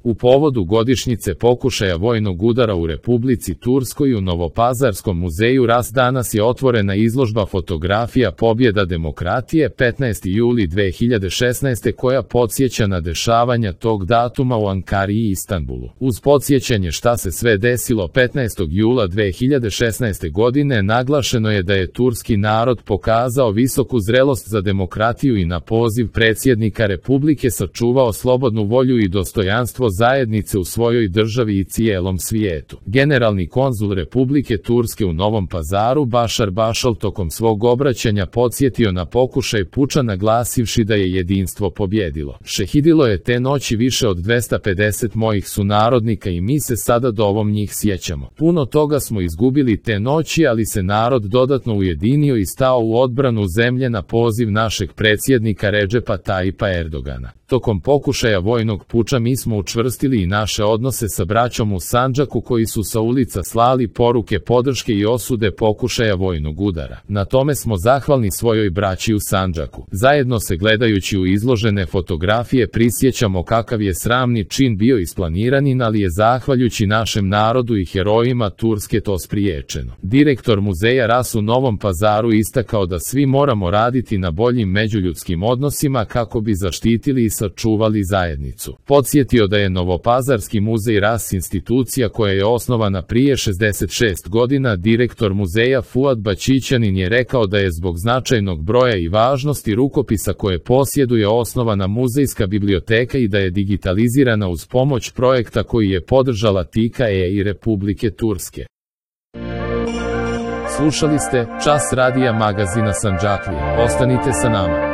U povodu godišnjice pokušaja vojnog udara u Republici Turskoj u Novopazarskom muzeju Ras danas je otvorena izložba fotografija Pobjeda demokratije 15. juli 2016. koja podsjeća na dešavanja tog datuma u Ankari i Istanbulu. Uz podsjećanje šta se sve desilo 15. jula 2016. godine naglašeno je da je turski narod pokazao visoku zrelost za demokratiju i na poziv predsjednika Republike sačuvao slobodnu volju i dostojanstvo zajednice u svojoj državi i cijelom svijetu. Generalni konzul Republike Turske u Novom Pazaru Bašar Bašal tokom svog obraćanja podsjetio na pokušaj puča naglasivši da je jedinstvo pobjedilo. Šehidilo je te noći više od 250 mojih sunarodnika i mi se sada dovom njih sjećamo. Puno toga smo izgubili te noći, ali se narod dodatno ujedinio i stao u odbranu zemlje na poziv našeg predsjednika Redžepa Tajipa Erdogana. Tokom pokušaja vojnog puča mi smo učvrstili i naše odnose sa braćom u Sandžaku koji su sa ulica slali poruke podrške i osude pokušaja vojnog udara. Na tome smo zahvalni svojoj braći u Sandžaku. Zajedno se gledajući u izložene fotografije prisjećamo kakav je sramni čin bio isplaniran, ali je zahvaljujući našem narodu i herojima Turske to spriječeno. Direktor muzeja Ras u Novom Pazaru istakao da svi moramo raditi na boljim međuljudskim odnosima kako bi zaštitili i sačuvali zajednicu. Podsjetio da je Novopazarski muzej Ras institucija koja je osnovana prije 66 godina. Direktor muzeja Fuad Bačićanin je rekao da je zbog značajnog broja i važnosti rukopisa koje posjeduje osnovana muzejska biblioteka i da je digitalizirana uz pomoć projekta koji je podržala TIKA i Republike Turske. Slušali ste Čas radija magazina Sandžaklije. Ostanite sa nama.